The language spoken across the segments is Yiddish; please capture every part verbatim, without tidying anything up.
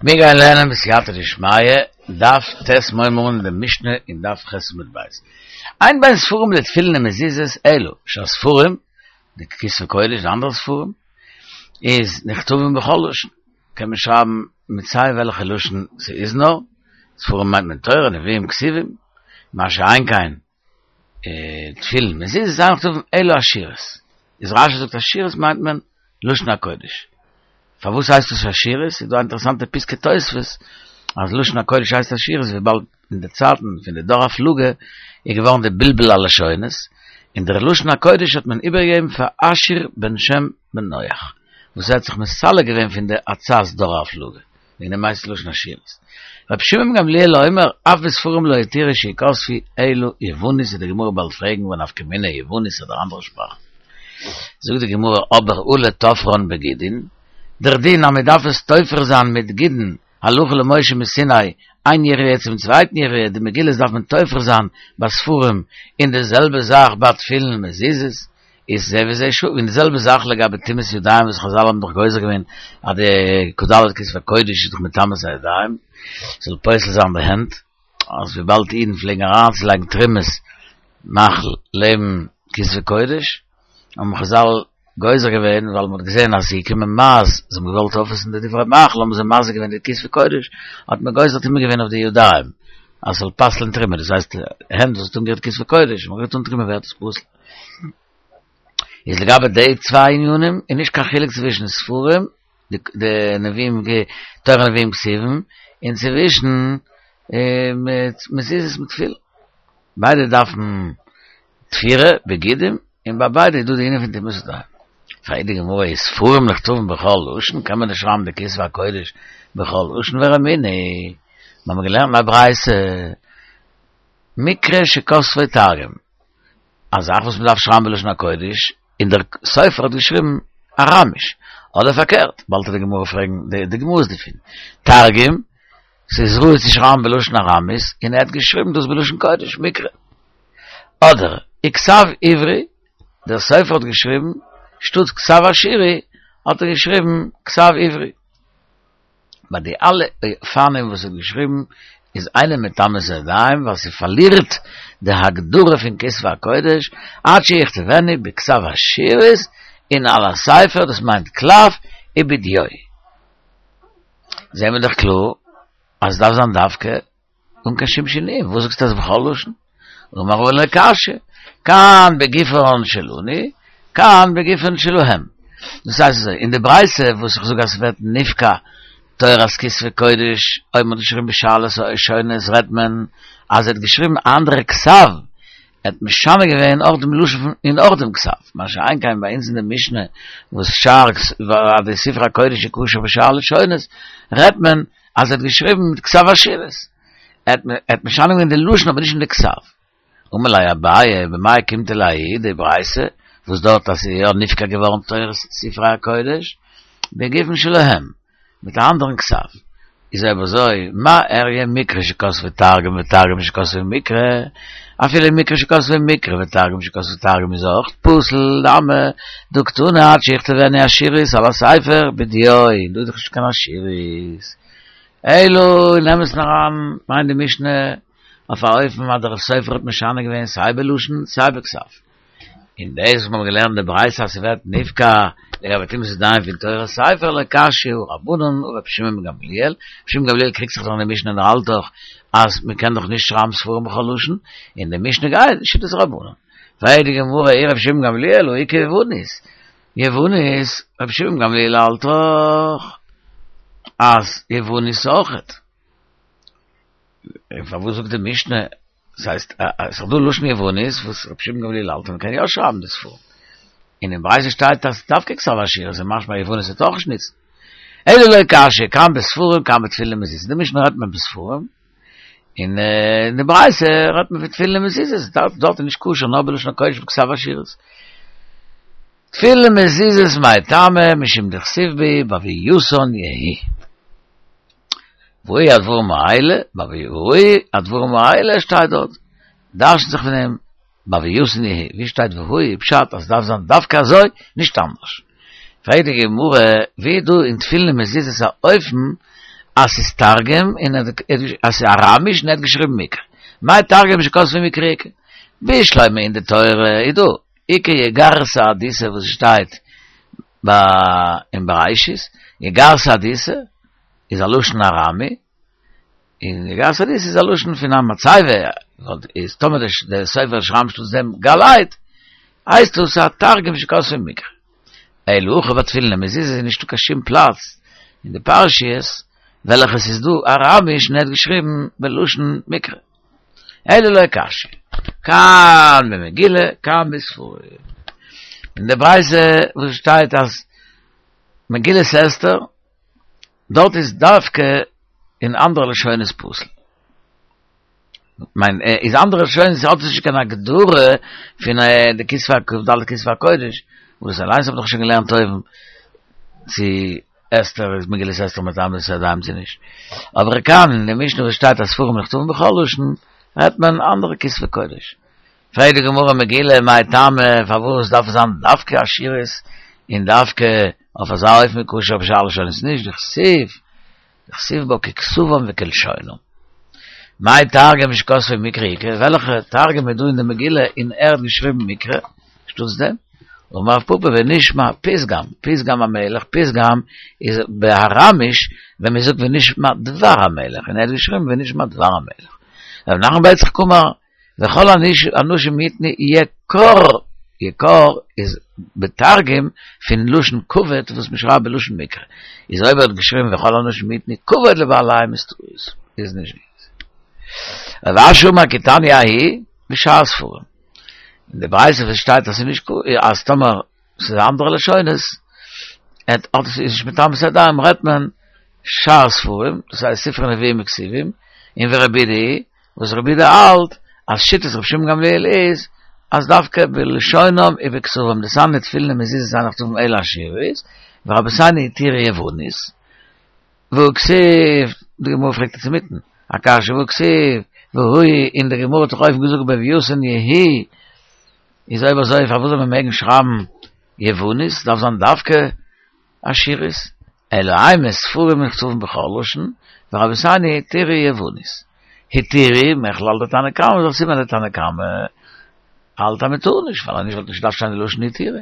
מיר גייען לערנען בסייעתא דשמיא, דף ט' מיר הייבן אן די משנה אין דף ח' עמוד ב'. אין בין ספרים לתפילין ומזוזות אלא שהספרים, די כתבי קודש, די אנדערע ספרים, איז נכתבים בכל לשון, קען מען שרייבן מיט סיי וועלכע לשון ס'איז נאר, ספרים מיינט מען תורה, נביאים, כתובים, מה שאין כן תפילין, מזוזות אין נכתבים אלא אשורית, איז רשי זאגט אשורית מיינט מען לשון הקודש. פארוואס הייסט עס אשורית? ס'איז דא א אינטערעסאנטע פסקי תוספות אז לשון הקודש הייסט אשורית וויבאלד אין די צייטן פון די דור הפלגה איז געווארן די בלבול הלשונות, און דער לשון הקודש האט מען איבערגעגעבן פאר אשור בן שם בן נח וואס ער האט זיך מסלק געווען פון די עצת דור הפלגה, וועגן דעם הייסט עס לשון אשורית. רבי שמעון בן גמליאל אומר אף בספרים לא התירו שיכתבו אלא יוונית וועט די גמרא באלד פרעגן והא נפקא מינה יוונית אדער אנדערע שפראכן. זאגט די גמרא אבער הא לתופרן בגידין, דער דין אז מען דארף עס תופר זיין מיט גידין הלכה למשה מסיני, איין יריעה צום צווייטן יריעה, די מגילות דארף מען תופר זיין ביי ספרים, און די זעלבע זאך ביי תפילין און מזוזות, איז זה וזה שווה, און די זעלבע זאך לגבי טומאת ידיים וואס חזל האבן דאך גוזר געווען אז די כ"ד כתבי קודש איז דאך מטמא את הידיים, זאל פוסל זיין די הענט, אז וויבאלד אידן פלעגן אריינצולייגן תרומת מאכל לעבן כתבי קודש, האבן חזל גוזר געווען ווייל מ'האט געזען אז ס'איז געקומען מייז, זיי האבן געוואלט אויפעסן די דברי מאכל האבן זיי מזיק געווען די כתבי קודש, האט מען גוזר טומאה געווען אויף די ידיים אז ס'זאל פסל'ען תרומה, דאס הייסט הענט וואס האט אנגערירט כתבי קודש, מ'רירט אן תרומה ווערט עס פסול. איז לגבי די צוויי ענינים איז נישט קיין חילוק צווישן ספרים, די נביאים תורה נביאים כתובים, און צווישן מזוזות מיט תפילין. ביידע דארפן תפירה, בגידים, און ביי ביידע איז דא די ענין פון טומאת ידיים. פרעגט די גמרא וספרים נכתבים בכל לשון, קען מען נישט שרייבן די כתבי הקודש בכל לשון ורמינהי, מיר האבן געלערנט אין א ברייתא, מקרא שכתבו תרגום, א זאך וואס מען דארף שרייבן בלשון הקודש, און דער סופר האט געשריבן אראמיש, אדער פארקערט, באלד וועט די גמרא פרעגן די גמרות דערפון, תרגום, ס'איז ראוי צו שרייבן בלשון ארמית, און ער האט געשריבן דאס בלשון קודש, מקרא. אדער, וכתב עברי, דער סופר האט געשריבן, שטאט כתב אשורי, האט ער געשריבן כתב עברי. ביי די אלע אופנים וואס ער האט געשריבן, איז אינו מטמא את הידיים, ווייל ס'פארלירט די הגדרה פון כתבי הקודש, עד שיכתבנו בכתב אשורית, און על הספר, דאס מיינט קלף, ובדיו. זעהן מיר דאך קלאר אז עס דארף זיין דווקא אן קיין שום שינויים, וואס זאגסטו אז בכל לשון? אמר רבא לא קשיא, כאן בגופן שלנו, כאן בגופן שלהם. דאס הייסט אזוי, אין די ברייתא וואס איך זאג אז ס'ווערט נפקע תורת כתבי קודש אויב מ'האט געשריבן בשאר לשונות רעדט מען אז ער האט געשריבן א אנדערע כתב ער האט משנה געווען אויך דעם לשון און אויך דעם כתב, מה שאין כן ביי אונז אין די משנה וואס שאר אז די ספרי הקודש איז כשר בשאר לשונות, רעדט מען אז ער האט געשריבן מיט כתב אשורית, ער האט משנה געווען די לשון אבער נישט אין די כתב. אמר ליה אביי, במאי אוקימתא לההיא די ברייתא וואס דארט אז ס'איז יא נפקע געווארן תורת ספרי הקודש בגופן שלהם, מיט א אנדערן כתב, איז אויב אזוי מה איריא מקרא שכתבו תרגום ותרגום שכתבו מקרא, אפילו מקרא שכתבו מקרא ותרגום שכתבו תרגום איז אויך פסול, למה דהא קתני עד שיכתבנו אשורית על הספר בדיו, דא איז דאך נישט קיין אשורית, אלא אין אמת'ן אריין מיינט די משנה אויף א אופן אז דער סופר האט משנה געווען סיי בלשון סיי בכתב. און דאס וואס מיר האבן געלערנט די ברייתא אז ס'ווערט נפקע לגבי טומאת ידיים פון תורת ספר לא קשיא הא רבנן הא רבי שמעון בן גמליאל, רבי שמעון בן גמליאל קריגט זיך דאך אין די משנה און ער האלט דאך אז מ'קען דאך נישט שרייבן ספרים בכל לשון, און די משנה גייט שיטת רבנן. פרעגט די גמרא אי רבי שמעון בן גמליאל הא איכא יוונית, יוונית, רבי שמעון בן גמליאל האלט דאך אז יוונית אויכעט. און פארוואס זאגט די משנה, דאס הייסט עס איז דא לשון יוונית וואס רבי שמעון גמליאל האלט אז מען קען יא שרייבן די ספרים, און אין ברייתא שטייט אז דווקא כתב אשורית איז משמע יוונית וועט אויך נישט ניצן. אלא לא קשיא, כאן בספרים כאן בתפילין ומזוזות, די משנה רעדט מען בספרים, און אין די ברייתא רעדט מען פון תפילין ומזוזות, דארט איז נישט כשר נאר בלשון הקודש בכתב אשורית. תפילין ומזוזות מאי טעמא משום דכתיב בהו בהוייתן יהיו. והוא הדברים האלה, והוא הדברים האלה שטייט דארט, דרש'נט זיך פון דעם בהוייתן יהיו, ווי שטייט והוא פשט אז ס'דארף זיין דווקא אזוי, נישט אנדערש. פרעגט די גמרא, ווי איז דא אין תפילין ומזוזות א אופן אז ס'איז תרגום, און אז ס'איז אראמיש און ער האט געשריבן מקרא. מאי תרגום שכתבו מקרא איכא? בשלמא אין די תורה איז דא איכא יגר שהדותא וואס שטייט ביי אין בראשית, יגר שהדותא איז א לשון ארמי, און יגר שהדותא איז א לשון פון א מצבה, איז טאמער דער סופר שרייבט אנשטאט דעם גלייט, הייסט דאס א תרגום שכתבו מקרא. אלא הכא ביי תפילין ומזוזות איז נישטא קיין שום פלאץ אין די פרשיות וועלכע ס'איז דא אראמיש און ער האט געשריבן בלשון מקרא. אלא לא קשיא. כאן במגילה, כאן בספרים. אין די ברייתא וואס שטייט אז מגילת אסתר, דארט איז דווקא אין אנדערע לשונות פסול. מיין איז אנדערע לשונות האט נישט קיין הגדרה פון די כתבי כ"ד כתבי הקודש, וואס אליינס האב איך שוין געלערנט אויבן צו אסתר איז מגילת אסתר מטמא את הידיים צו נישט. אבער כאן אין די משנה וואס שטייט אז ספרים נכתבים בכל לשון, רעדט מען אנדערע כתבי קודש. פרעגט די גמרא מגילה מאי טעמא פארוואס דארף עס זיין דווקא אשורית און דווקא אויף אזא אופן כשר בשאר לשונות נישט, דכתיב דכתיב בה ככתבם וכלשונם. מאי תרגום שכתבו מקרא איכא, וועלכע תרגום איז דא אין די מגילה און ער האט געשריבן מקרא שטאטס דעם? אמר רב פפא ונשמע פתגם, פתגם המלך, פתגם איז באראמיש ווען מען זאגט ונשמע דבר המלך, און ער האט געשריבן ונשמע דבר המלך. רב נחמן בר יצחק אמר, וכל האנשים יתנו יקר, יקר איז בתרגום פון לשון כבוד וואס מען שרייבט בלשון מקרא, איז אויב ער האט געשריבן וכל האנשים יתנו כבוד לבעליהם איז טעות, איז נישט גוט. רב אשי אמר כי תניא ההיא בשאר ספרים. אין די ברייתא וואס שטייט אז ס'איז נישט אז טאמער ס'איז אנדערע לשונות, האט עס איז נישט מטמא את הידיים רעדט מען שאר ספרים, דאס הייסט ספרי נביאים וכתובים, און ורבי יהודה היא, וואס רבי יהודה האלט אז שיטת רבי שמעון גמליאל איז אז דווקא בלשונם ובכתבם, דתניא תפילין ומזוזות אין נכתבין אלא אשורית, ורבותינו התירו יוונית, והא כתיב, די גמרא פרעגט עס אינמיטן, א קשיא והא כתיב, והוא, און די גמרא האט דאך אויבן געזאגט בלויתן יהי, איז אויב אזוי פארוואס זאל מען מעגן שרייבן יוונית, דארף זיין דווקא אשורית, אלא אימא ספרים נכתבים בכל לשון, ורבותינו התירו יוונית. התירו, מכלל דתנא קמא, איז א סימן דתנא קמא האלט אז מען טאר נישט, ווייל אז נישט וואלט נישט געדארפט שטיין די לשון התירו.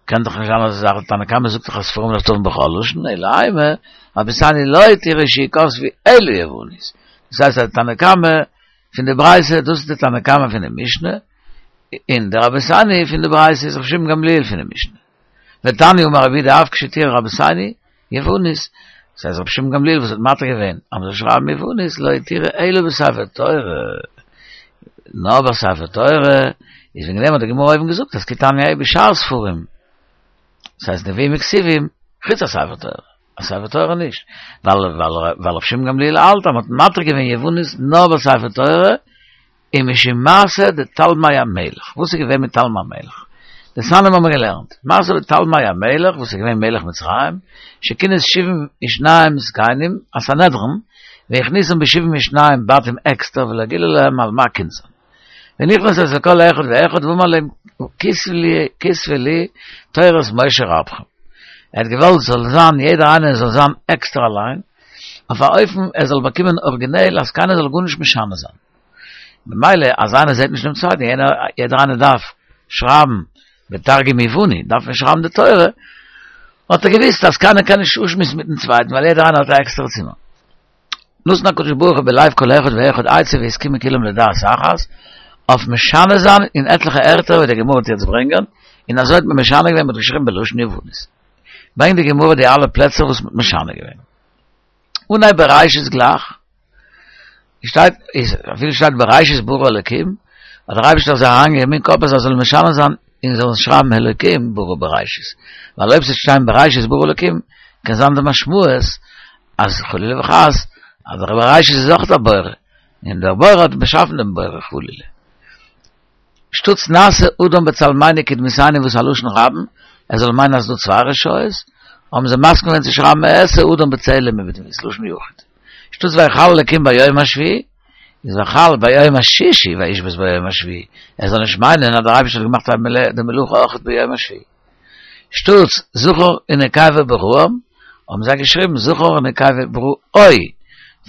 קען דאך נישט זיין אזא זאך, תנא קמא זאגט דאך אז ספרים נכתבים בכל לשון, אלא אימא, רבותינו לא התירו שיכתבו אלא יוונית. דאס הייסט אז די תנא קמא פון די ברייתא, דאס איז די תנא קמא פון די משנה, און די רבותינו פון די ברייתא איז רבי שמעון גמליאל פון די משנה. ותניא אמר רבי יהודה אף כשהתירו רבותינו יוונית, דאס הייסט רבי שמעון גמליאל וואס האט מתיר געווען אז מ'זאל שרייבן יוונית לא התירו אלא בספר תורה, נאר ביי ספר תורה, איז וועגן דעם האט די גמרא אויבן געזאגט אז כי תניא ההיא בשאר ספרים, דאס הייסט נביאים וכתובים, חוץ א ספר תורה, א ספר תורה נישט, ווייל ווייל רבי שמעון גמליאל האלט אז מ'האט מתיר געווען יוונית נאר ביי ספר תורה, ומשום מעשה דתלמי המלך, וואס איז געווען מיט תלמי המלך? דתניא האבן מיר געלערנט, מעשה בתלמי המלך, וואס איז געווען מלך מצרים, שכינס שבעים ושניים זקנים, א סנהדרין, והכניסם בשבעים ושניים בתים עקסטער ולא גילה להם על מה כינסם. ונכנס אצל כל אחד ואחד ואמר להם כתבו לי תורת משה רבכם. ער האט געוואלט ס'זאל זיין יעדער איינער זאל זיין עקסטער אליין, אויף א אופן ער זאל באקומען ארגינעל אז קיינער זאל גארנישט משנה זיין. במילא אז איינער זעט נישט דעם צווייטן, יענער, יעדער איינער דארף שרייבן בתרגום יווני, דארף מען שרייבן די תורה, האט ער געוויסט אז קיינער קען נישט אפשמועסן מיטן צווייטן ווייל יעדער איינער האט א עקסטערע צימער. נתן הקדוש ברוך הוא בלב כל אחד ואחד עצה והסכימו כולם לדעת אחת, אויף משנה זיין אין עטליכע ערטער ווי די גמרא וועט יעצט ברענגען, און אזוי האט מען משנה געווען, מען האט געשריבן בלשון יוונית. ברענגט די גמרא די אלע פלעצער וואס מען האט משנה געווען. אנהייב בראשית גלייך, שטייט איז אפילו שטייט בראשית ברא אלקים, האט דער אייבערשטער זיי אריינגעגעבן אין קאפ אז זיי זאלן משנה זיין און זאלן שרייבן אלקים ברא בראשית, ווייל אויב ס'וועט שטיין בראשית ברא אלקים קען זיין די משמעות אז חלילה וחס אז דער בראשית איז אויך דער בורא, און דער בורא האט באשאפן דעם בורא חלילה. שטאטס נעשה אדם בצלמינו כדמותינו וואס א לשון רבים, ער זאל מיינען אז ס'דא צוויי רשויות, האבן זיי מסכים געווען צו שרייבן אעשה אדם בצלם ובדמות, לשון יחיד. שטאטס ויכל אלקים ביום השביעי, איז ויכל ביום השישי וישבות ביום השביעי, ער זאל נישט מיינען אז דער אייבערשטער האט געמאכט די מלאכה אויך ביום השביעי. שטאטס זכר ונקבה בראם, האבן זיי געשריבן זכר ונקבה בראו,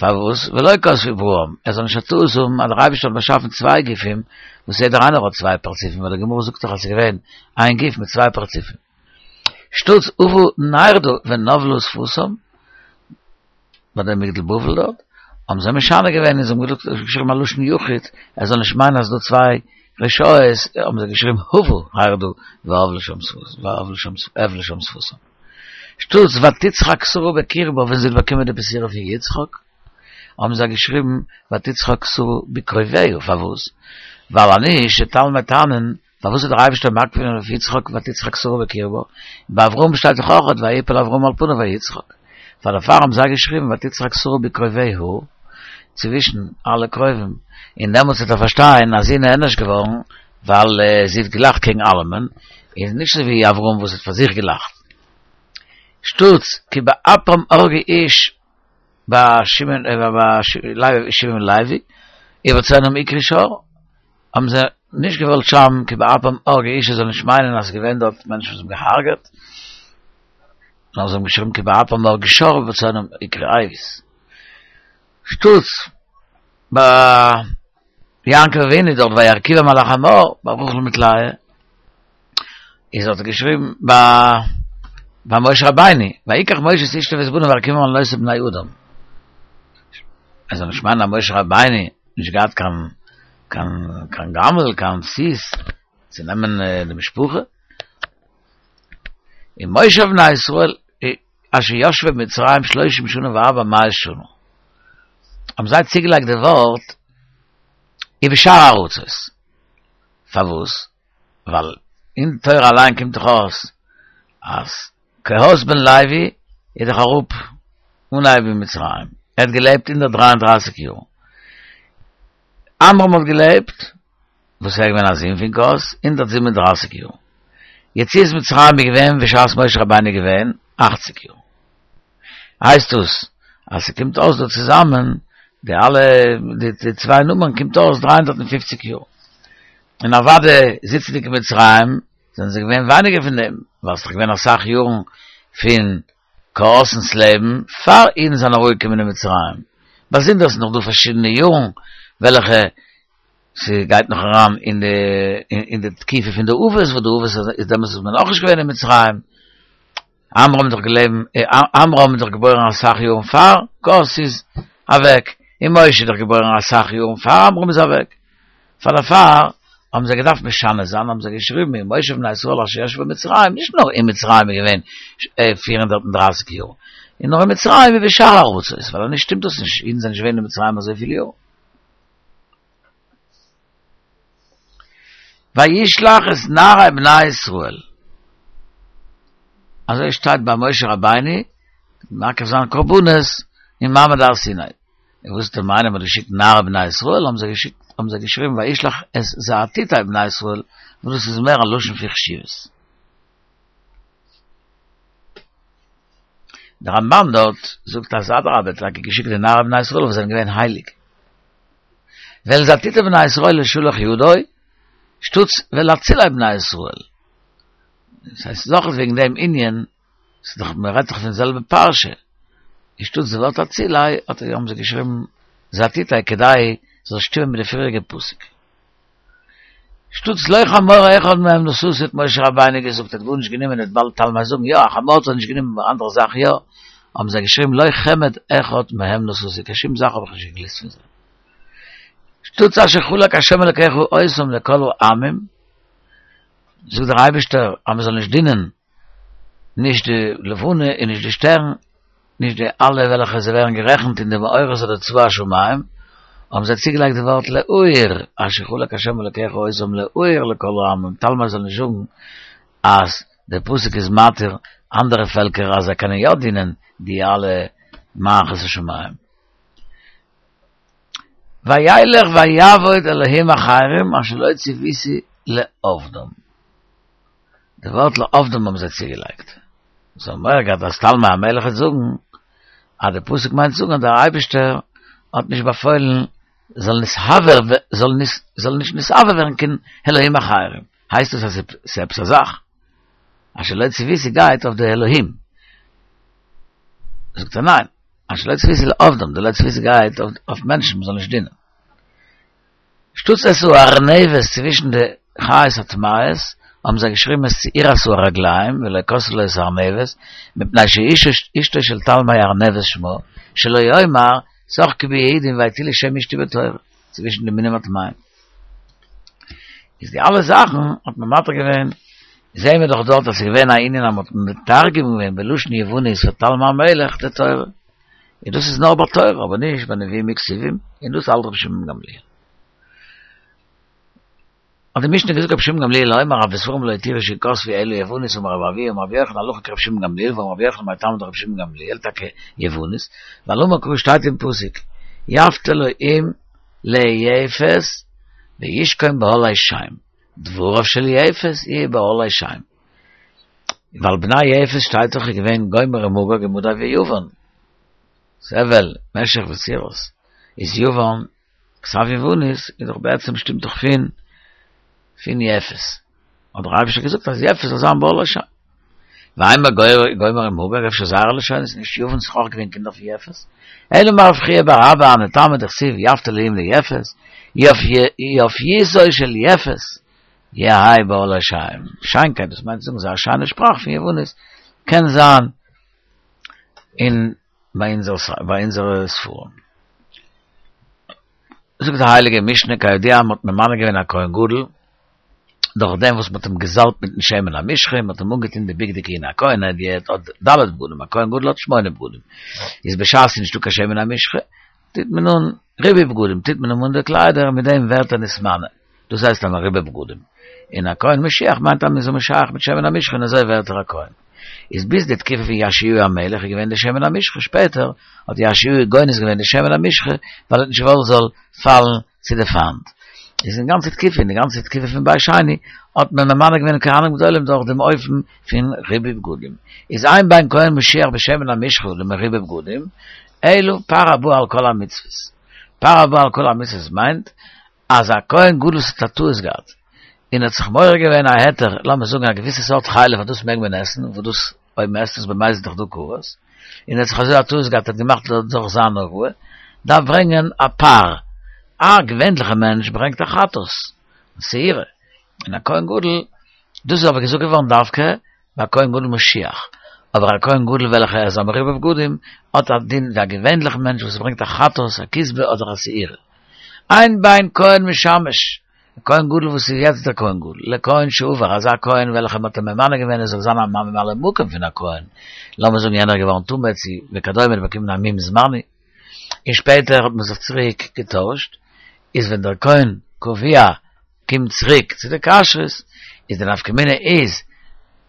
פארוואס ולא כתבו בראם, ער זאל נישט א טעות האבן אז דער אייבערשטער האט באשאפן צוויי גופים וואס יעדער איינער האט צוויי פרצופים, ווייל די גמרא זאגט דאך אז ס'איז געווען איין גוף מיט צוויי פרצופים. שטאטס הובא נהרדעא ונבלה שפתם, ביי די מגדל בבל דארט, האבן זיי משנה געווען און זיי האבן געשריבן א לשון יחיד, ער זאל נישט מיינען אז ס'איז דא צוויי רשעות, האבן זיי געשריבן הובא נהרדעא והבלה שם שפתם. שטאטס ותצחק שרה בקרבה ווען זי האט באקומען די בשורה פון יצחק, האבן זיי געשריבן ותצחק שרה בקרוביה, פארוואס? ווייל אנישט וועט תלמי טענה'ן פארוואס האט דער אייבערשטער מקפיד געווען אויף יצחק ותצחק שרה בקרבה, ביי אברהם שטייט דאך אויך ויפל אברהם על פניו ויצחק, פאר דערפאר האבן זיי געשריבן ותצחק שרה בקרוביה, צווישן אלע קרובים, און דעמאלטס וועט ער פארשטיין אז זי איז נענש געווארן ווייל זי האט געלאכט קעגן אלעמען, און נישט אזוי ווי אברהם וואס האט פאר זיך געלאכט. שטאטס כי באפם הרגו איש ביי שמעון ביי לוי, ובצאנם עקרו שור, האבן זיי נישט געוואלט שרייבן כי באפם הרגו איש ער זאל נישט מיינען אז ס'איז געווען דארט מענטשן וואס האבן געהארגעט, נאר זיי האבן געשריבן כי באפם הרגו שור ובצאנם עקרו אבוס. שטאטס ביי יעקב אבינו דארט וירכיבם על החמור ביי רחל מיט לאה, איז האט ער געשריבן ביי ביי משה רבינו ויקח משה את אשתו ואת בניו וירכיבם על נושא בני אדם. ער זאל נישט מיינען אז משה רבינו נישט געהאט קיין קיין קיין גמל קיין סוס צו נעמען די משפחה. ומושב בני ישראל אשר ישבו במצרים שלושים שנה וארבע מאות שנה. האבן זיי צוגעלייגט די ווארט ובשאר ארצות. פארוואס? ווייל אין תורה אליין קומט דאך אויס אז קהת בן לוי איז דאך אראפ אנהייב אין מצרים, ער האט געלעבט הונדערט דרײַ און דרײַסיק יאר, עמרם האט געלעבט, וואס ער איז געווען א זון פון קהת, הונדערט זיבן און דרײַסיק יאר, יציאת מצרים איז געווען בשעת משה רבינו איז געווען אַכציק יאר, הייסט דאס אז ס'קומט אויס דא צוזאמען די אלע די צוויי נומערן קומט אויס דרײַ הונדערט און פֿופֿציק יאר. און אוודאי זיצנדיג אין מצרים זענען זיי געווען ווייניגער פון דעם, ווייל ס'איז דאך געווען אסאך יארן פון קהת'נס לעבן פאר אידן זענען אראפגעקומען אין מצרים, באזונדער איז נאך דא פארשידענע יארן וועלכע ס'גייט נאך אריין אין די אין די תקופה פון די אבות, וואס די אבות איז דעמאלטס איז מען נאכנישט געווען אין מצרים. עמרם איז דאך געלעבן, עמרם איז דאך געבוירן אסאך יארן פאר קהת איז אוועק, און משה איז דאך געבוירן אסאך יארן פאר עמרם איז אוועק, פאר דערפאר האבן זיי געדארפט משנה זיין, האבן זיי געשריבן ומושב בני ישראל אשר ישבו במצרים, נישט נאר אין מצרים איז געווען פֿיר הונדערט און דרײַסיק יאר, און נאר אין מצרים ובשאר ארצות, ווייל אנישט שטימט דאס נישט, אידן זענען נישט געווען אין מצרים אזויפיל יאר. וישלח את נערי בני ישראל, אזוי שטייט ביי משה רבינו, מקריב זיין קרבנות אין מעמד הר סיני, און וואס איז די מיינונג מ'האט געשיקט נערי בני ישראל, האבן זיי געשיקט האבן זיי געשריבן וישלח את זאטיטי בני ישראל, וואס דאס איז מער א לשון פון חשיבות. דער רמב"ן דארט זאגט אז אדרבה האט טאקע געשיקט די נערי בני ישראל וואס זענען געווען הייליג. ואל זאטיטי בני ישראל לא שלח ידו, שטאטס ואל אצילי בני ישראל. דאס הייסט נאך וועגן דעם ענין, ס'איז דאך מען רעדט דאך פון די זעלבע פרשה, און שטאטס די ווארט אצילי האט ער האבן זיי געשריבן זאטיטי כדי ס'זאל שטימען מיט די פריעריגע פסוק. שטאטס לא חמור אחד מהם נשאתי האט משה רבינו געזאגט ער האט גארנישט גענומען וועט באלד תלמי זאגן יא א חמור האט ער נישט גענומען אבער אנדערע זאכן יא, האבן זיי געשריבן לא חמד אחד מהם נשאתי קיין שום זאך האב איך נישט געגליסט פון זיי. שטאטס אשר חלק השם אלקיך אותם לכל העמים, זאגט דער אייבערשטער אז מען זאל נישט דינען נישט די לבנה און נישט די שטערן, נישט די אלע וועלכע זיי ווערן גערעכנט אין די מאורות אדער צבא השמים, האבן זיי צוגעלייגט די ווארט לאור, אשר חלק השם אלקיך אותם לאור לכל העמים, תלמי זאל נישט זאגן אז דער פסוק איז מתיר אנדערע פעלקער אז זיי קענען יא דינען די אלע מערכות השמים. וילך ויעבוד אלהים אחרים אשר לא צויתי לעבדם. די ווארט לעבדם האבן זיי צוגעלייגט. זיי האבן מורא געהאט אז תלמי המלך וועט זאגן אז די פסוק מיינט זאגן אז דער אייבערשטער האט נישט באפוילן זאל נתעבר זאל נישט נתעבר ווערן קיין אלהים אחרים. הייסט עס אז ס'איז עפעס א זאך. אשר לא צויתי גייט אויף די אלהים. זאגט ער ניין, אשר לא צפיתי לעבדם, די לא צפיתי גייט אויף מענטשן, מ'זאל נישט דינען. שטוץ את הארנבת צווישן די חיות הטמאות, האבן זיי געשריבן את שעירת הרגליים, ולא כתבו לו את הארנבת, מפני שאשתו של תלמי ארנבת שמה, שלא יאמר, שחקו בי יהודים והטילו שם אשתי בתורה, צווישן די מינים הטמאים. איז די אלע זאכן האט מען מתיר געווען, זעהן מיר דאך דארט אז ס'איז געווען א ענין אז מ'האט מתרגם געווען בלשון יוונית פאר תלמי המלך די תורה. און דאס איז נאר ביי תורה, אבער נישט ביי נביאים וכתובים, און דאס האלט רבי שמעון גמליאל. האט די משנה געזאגט רבי שמעון גמליאל אומר אף בספרים לא התירו שיכתבו אלא יוונית אמר רבי אבהו אמר רבי יוחנן הלכה כרבי שמעון גמליאל ואמר רבי יוחנן מאי טעמא דרבי שמעון גמליאל טאקע יוונית ווייל אמר קרא שטייט אין פסוק יפת אלהים ליפת וישכון באהלי שם דבריו של יפת יהיו באהלי שם ווייל בני יפת שטייט דאך איז געווען גומר ומגוג ומדי ויוון תבל משך ותירס איז יוון כתב יוונית איז דאך בעצם שטימט דאך פון פון יפת. האט דער אייבערשטער געזאגט אז יפת זאל זיין באהלי שם. ואימא גומר ומגוג, אפשר זייערע לשונות איז נישט יוון ס'איז אויך געווען קינדער פון יפת. אלא אמר רב חייא בר אבא הני טעמא דכתיב יפת אלהים ליפת, יפיותו של יפת, יהא באהלי שם. שיינקייט, דאס מיינט צו זאגן זייער שיינע שפראך פון יוונית, קען זיין אין ביי אונזערע ספרים. זאגט די הייליגע משנה כידוע מ'האט ממנה געווען א כהן גדול דורך דעם וואס מ'האט אים געזאלבט מיטן שמן המשחה און מ'האט אים אנגעטון די בגדי כהונה, א כהן הדיוט האט ד' בגדים, א כהן גדול האט שמונה בגדים, איז בשעת ס'איז נישטא קיין שמן המשחה טוט מען אן ריבוי בגדים, טוט מען אים אן די קליידער און מיט דעם ווערט ער נתמנה, דאס הייסט א מרובה בגדים, און א כהן משיח מיינט אז מ'איז אים משח מיט שמן המשחה און אזוי ווערט ער א כהן. איז ביז די תקופה פון יאשיהו המלך איז געווען די שמן המשחה, שפעטער האט יאשיהו גונז געווען די שמן המשחה ווייל ער האט נישט געוואלט זאל פאלן צו די פיינט. איז אין גאנצע תקופה, אין די גאנצע תקופה פון בית שני, האט מען ממנה געווען כהנים גדולים דורך דעם אופן פון ריבוי בגדים. איז אין בין כהן משיח בשמן המשחה למרובה בגדים, אלא פר הבא על כל המצוות. פר הבא על כל המצוות מיינט אז א כהן גדול וואס האט א טעות געהאט, און האט זיך מעורר געווען א היתר, לאמיר זאגן א געוויסע סארט חלב אז דאס מעג מען עסן, וואס דאס אויב מען עסט עס במזיד איז דאך דא כרת, און ער האט זיך אזוי א טעות געהאט האט געמאכט דורך זיין הוראה, דארף ברענגען א פר, א געווענליכע מענטש ברענגט א חטאת, שעירה, און א כהן גדול, דאס איז אבער געזאגט געווארן דווקא ביי א כהן גדול משיח, אבער א כהן גדול וועלכער איז א מרובה בגדים האט א דין ווי א געווענליכע מענטש וואס ברענגט א חטאת, א כשבה אדער א שעירה. אין בין כהן משמש, א כהן גדול וואס איז יעצט דער כהן גדול, לכהן שעבר, אזא כהן וועלכער מ'האט אים ממנה געווען ער זאל זיין א ממלא מקום פון א כהן, לאמיר זאגן יענער איז געווארן טמא צו וכדומה און באקומען א מום זמני, און שפעטער האט מען זיך צוריק געטוישט, איז ווען דער כהן קבוע קומט צוריק צו די כשרות, איז די נפקא מינה איז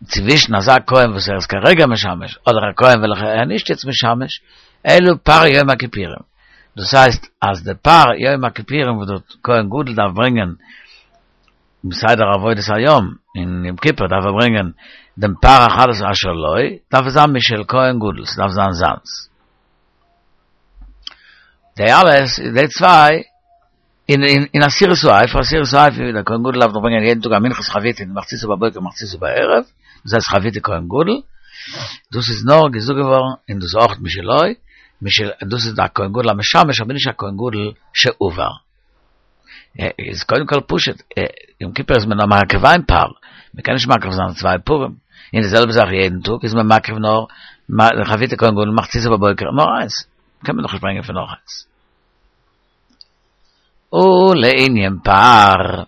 צווישן אזא כהן וואס ער איז כרגע משמש, אדער א כהן וועלכער ער איז נישט יעצט משמש, אלא פר יום הכיפורים. דאס הייסט אז די פר יום הכיפורים וואס דער כהן גדול דארף ברענגען בסדר עבודת היום אין יום כיפור דארף ער ברענגען דעם פר החטאת אשר לו, דארף עס זיין משל כהן גדול, ס'דארף זיין זיינס. די אלעס, די צוויי, אין אין עשירית האיפה, עשירית האיפה ווי דער כהן גדול דארף דאך ברענגען יעדן טאג א מנחת חביתין מחציתה בבוקר ומחציתה בערב, דאס הייסט חביתי כהן גדול, דאס איז נאר געזאגט געווארן און דאס איז אויך משלו, משל דאס איז א כהן גדול המשמש אבער נישט א כהן גדול שעבר. איז קודם כל פשוט, יום כיפור איז מען נאר מקריב איין פר, מען קען נישט מקריב זיין צוויי פרים, און די זעלבע זאך יעדן טאג איז מען מקריב נאר חביתי כהן גדול מחציתה בבוקר נאר איינס, קען מען דאך נישט ברענגען פון נאך איינס. ולענין פר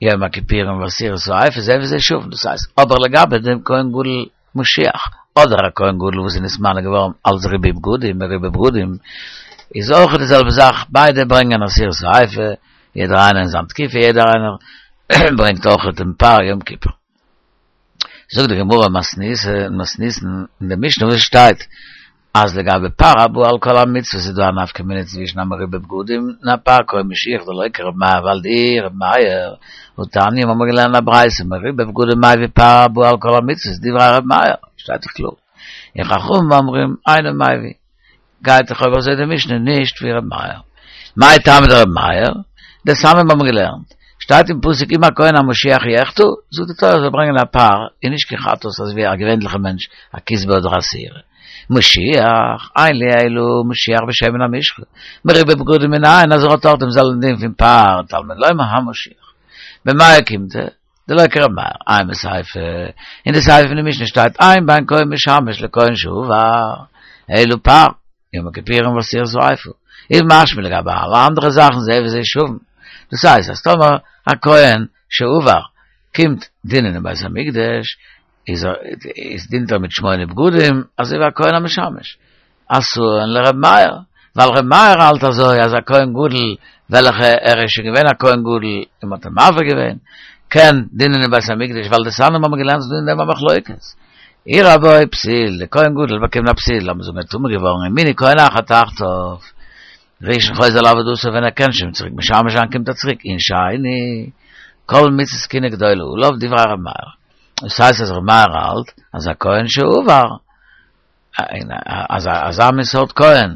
יום הכיפורים ועשירית האיפה זה וזה שווין, דאס הייסט, אבער לגבי דעם כהן גדול משיח, אדער א כהן גדול וואס איז נתמנה געווארן אלס ריבוי בגדים, מרובה בגדים, איז אויך די זעלבע זאך, ביידע ברענגען עשירית האיפה, יעדער איינער אין זיין תקופה, יעדער איינער ברענגט אויך דעם פר יום כיפור. זאגט די גמרא מתניתין, אין די משנה וואס שטייט אז לגבי פר הבא על כל המצוות איז דא א נפקא מינה צווישן א מרובה בגדים און א פר כהן משיח דלא כרבי מאיר ווייל דאי רבי מאיר והתניא האבן מיר געלערנט א ברייתא מרובה בגדים מביא פר הבא על כל המצוות דברי רבי מאיר שטייט דאך קלאר און חכמים אומרים אינו מביא גייט דאך אויב אזוי די משנה נישט ווי רבי מאיר מאי טעמא דרבי מאיר דתניא האבן מיר געלערנט שטייט אין פסוק אם הכהן המשיח יחטא זאגט די תורה זאל ברענגען א פר און נישט קיין חטאת אזוי ווי א געווענליכע מענטש א כשבה אדער א שעירה. משיח, אין לי אלא משיח בשמן המשחה. מרובה בגדים מנין, אז ער האט דארט דעם זעלבן דין פון פר, תלמוד לומר המשיח. במאי אוקימתא, דלא כרבי מאיר, אימא סיפא, אין די סיפא פון די משנה שטייט אין בין כהן משמש לכהן שהועבר, אלא פר, יום הכיפורים ועשירית האיפה. איז משמע לגבי אלע אנדערע זאכן זה וזה שווים. דאס הייסט, אז טאמער א כהן שהועבר קומט דינען אין בית המקדש, איז ער, איז דינט ער מיט שמונה בגדים, אזוי ווי א כהן המשמש. אסור לרב מאיר, ווייל רב מאיר האלט אזוי, אז א כהן גדול, וועלכע ער איז שוין געווען א כהן גדול, און מ'האט אים מעביר געווען, קען דינען אין בית המקדש, ווייל דתניא האבן געלערנט ס'איז דא אין דעם א מחלוקת. אירע בו פסיל, דער כהן גדול באקומט א פסיל, לאמיר זאגן ער איז טמא געווארן, ומינו כהן אחר תחתיו. ראשון חוזר לעבודתו ווען ער קען שוין צוריק משמש זיין קומט ער צוריק און שני כל מצות כהונה גדולה עליו דברי ר' מאיר. דאס הייסט אז ר' מאיר האלט אז א כהן שהועבר אז אזא מין סארט כהן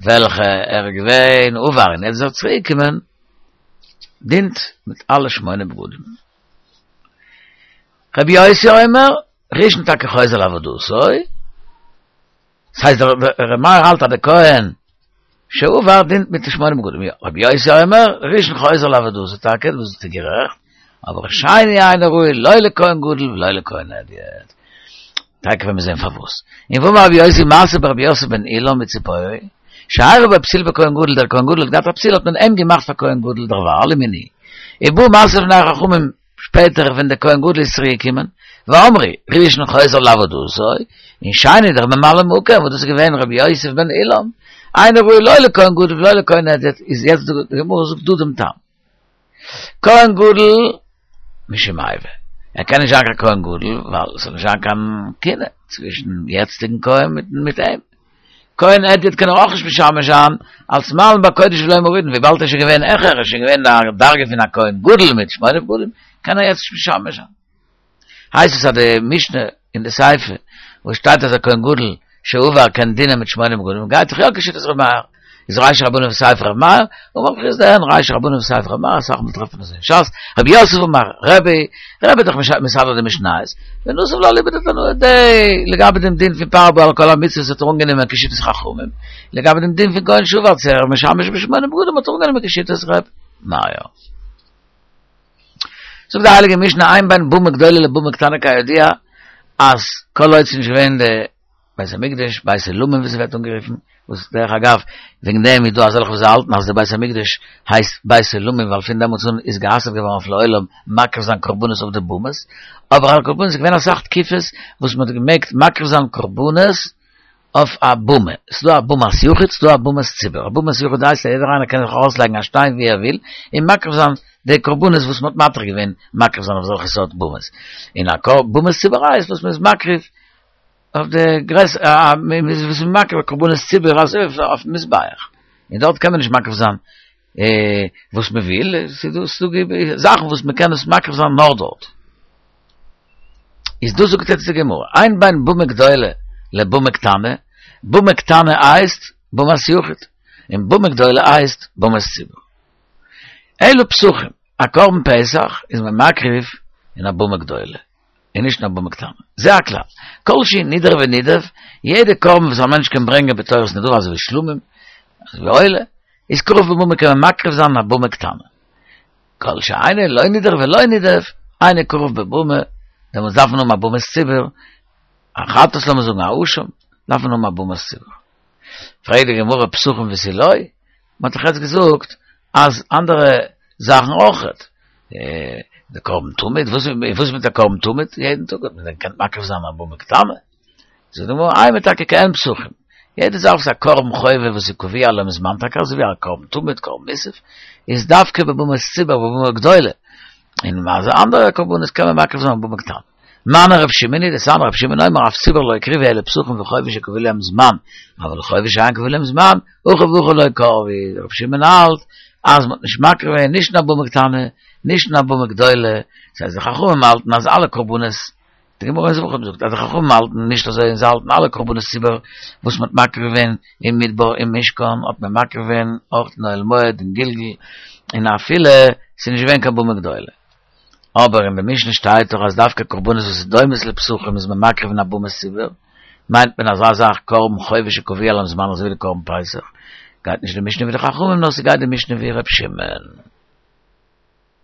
וועלכע ער איז געווען הועבר און יעצט איז ער צוריק געקומען דינט מיט אלע שמונה בגדים. רבי יוסי אומר ראשון טאקע חוזר לעבודתו דאס הייסט דער ר' מאיר האלט אז דער כהן שהועבר דינט מיט די שמונה בגדים, יא, רבי יוסי אומר, ראשון חוזר לעבודתו טאקע, דאס ביסטו גערעכט, אבער שני אינו ראוי לא לכהן גדול ולא לכהן הדיוט. טאקע וועלן מיר זען פארוואס. און ואמר רבי יוסי מעשה ברבי יוסף בן אילם מציפורי, שאירע בו פסיל בכהן גדול, דער כהן גדול האט געהאט א פסיל האט מען אים געמאכט פאר כהן גדול דערווייל ומינוהו. ובא מעשה לפני החכמים שפעטער ווען דער כהן גדול איז צוריק געקומען, ואמרו, ראשון חוזר לעבודתו, און שני דער ממלא מקום, וואס דאס איז געווען רבי יוסף בן אילם, אינו ראוי לא לכהן גדול ולא לכהן הדיוט, איז יעצט די גמרא זאגט דא דעם טעם. כהן גדול משום איבה, ער קען נישט זיין קיין כהן גדול ווייל עס זאל נישט זיין קיין קנאה צווישן יעצטיגן כהן מיט אים. כהן הדיוט קען ער אויך נישט משמש זיין אלס מעלין בקודש ולא מורידין, וויבאלד ער איז שוין געווען העכער, ער איז שוין געווען אין א דרגה פון א כהן גדול מיט שמונה בגדים, קען ער יעצט נישט משמש זיין. הייסט עס אז די משנה אין די סיפא וואס שטייט אז א כהן גדול שהועבר קען דינען מיט שמונה בגדים גייט דאך יא כשיטת ר' מאיר, איז רישא רבנן וסיפא ר' מאיר, אמר רב חסדא אין רישא רבנן וסיפא ר' מאיר, אסאך מאל טרעפט מען עס אין שס, רב יוסף אמר רבי, רבי האט דאך מסדר די משניות, ונסיב לה אליבא דתנאי דייה, לגבי דעם דין פון פר הבא על כל המצוות האט ער אנגענומען כשיטת חכמים, לגבי דעם דין פון כהן שהועבר צו ער משמש בשמונה בגדים האט ער אנגענומען כשיטת ר' מאיר. זאגט די הייליגע משנה אין בין במה גדולה לבמה קטנה כידוע אז כל עוד ס'איז נישט געווען די בית המקדש, בית עולמים ווי ס'ווערט אנגערופן, וואס דרך אגב וועגן דעם איז דא אזעלכע וואס האלטן אז די בית המקדש הייסט בית עולמים ווייל פון דעמאלטס אן איז גע'אסר'ט געווארן אויף לעולם מקריב זיין קרבנות אויף די במות, אבער על כל פנים ס'איז געווען אסאך תקופות וואס מ'האט געמעגט מקריב זיין קרבנות אויף א במה, ס'איז דא א במת יחיד, ס'איז דא א במת ציבור, א במת יחיד הייסט אז יעדער איינער קען זיך ארויסלייגן א שטיין ווי ער וויל און מקריב זיין די קרבנות וואס מ'האט מתיר געווען מקריב זיין אויף אזעלכע סארט במות, און א במת ציבור הייסט וואס מ'איז מקריב אויף די גרעס וואס מ'איז מקריב קרבנות ציבור אזוי אויפן מזבח, און דארט קען מען נישט מקריב זיין וואס מ'וויל, ס'איז דא זאכן וואס מ'קען עס מקריב זיין נאר דארט. איז דאס זאגט יעצט די גמרא, אין בין במה גדולה לבמה קטנה, במה קטנה הייסט במת יחיד, און במה גדולה הייסט במת ציבור. אלא פסחים, א קרבן פסח איז מען מקריב אין א במה גדולה, און נישט אין א במה קטנה. זה הכלל, כל שהוא נדרה ונידב, יעדע קרבן וואס א מענטש קען ברענגען בתורת נדבה אזוי ווי שלמים, אזוי ווי עולה, איז קרב בבמה קען מען מקריב זיין אין א במה קטנה. כל שאינו לא נדרה ולא נידב, אינו קרב בבמה, דעמאלטס דארף מען האבן א במת ציבור, א חטאת לאמיר זאגן א אשם, דארף מען האבן א במת ציבור. פרעגט די גמרא פסחים ותו לא, מען האט דאך יעצט געזאגט אז אנדערע זאכן אויכעט, די קרבן תמיד, וואס איז מיט א קרבן תמיד יעדן טאג האט מען דען געקענט מקריב זיין א במה קטנה? זאגט די גמרא אימא טאקע כעין פסחים, יעדע זאך וואס איז א קרבן חובה וואס איז קבוע להם זמן טאקע אזוי ווי א קרבן תמיד קרבן מוסף איז דווקא בבמת ציבור בבמה גדולה, און מה זה אנדערע קרבנות קען מען מקריב זיין בבמה קטנה. מני רב שמעון היא דתניא רב שמעון אומר אף ציבור לא הקריבו אלא פסחים וחובה שקבוע להם זמן, אבל חובה שאין קבוע להם זמן, הכא והכא לא קרבו, רב שמעון האלט אז מ'האט נישט מקריב געווען נישט אין א במה קטנה נישט אין א במה גדולה, ס'הייסט די חכמים האלטן אז אלע קרבנות די גמרא אין זבחים זאגט אז די חכמים האלטן נישט אזוי און זיי האלטן אלע קרבנות ציבור וואס מ'האט מקריב געווען אין מדבר אין משכן האט מען מקריב געווען אויך אין אוהל מועד אין גלגל און אפילו ס'איז נישט געווען קיין במה גדולה. אבער אין די משנה שטייט דאך אז דווקא קרבנות וואס איז דומות לפסחים איז מען מקריב אין א במת ציבור, מיינט מען אזא זאך קרבן חובה שקבוע להם זמן אזוי ווי די קרבן פסח, גייט נישט די משנה ווי די חכמים נאר ס'גייט די משנה ווי ר' שמעון.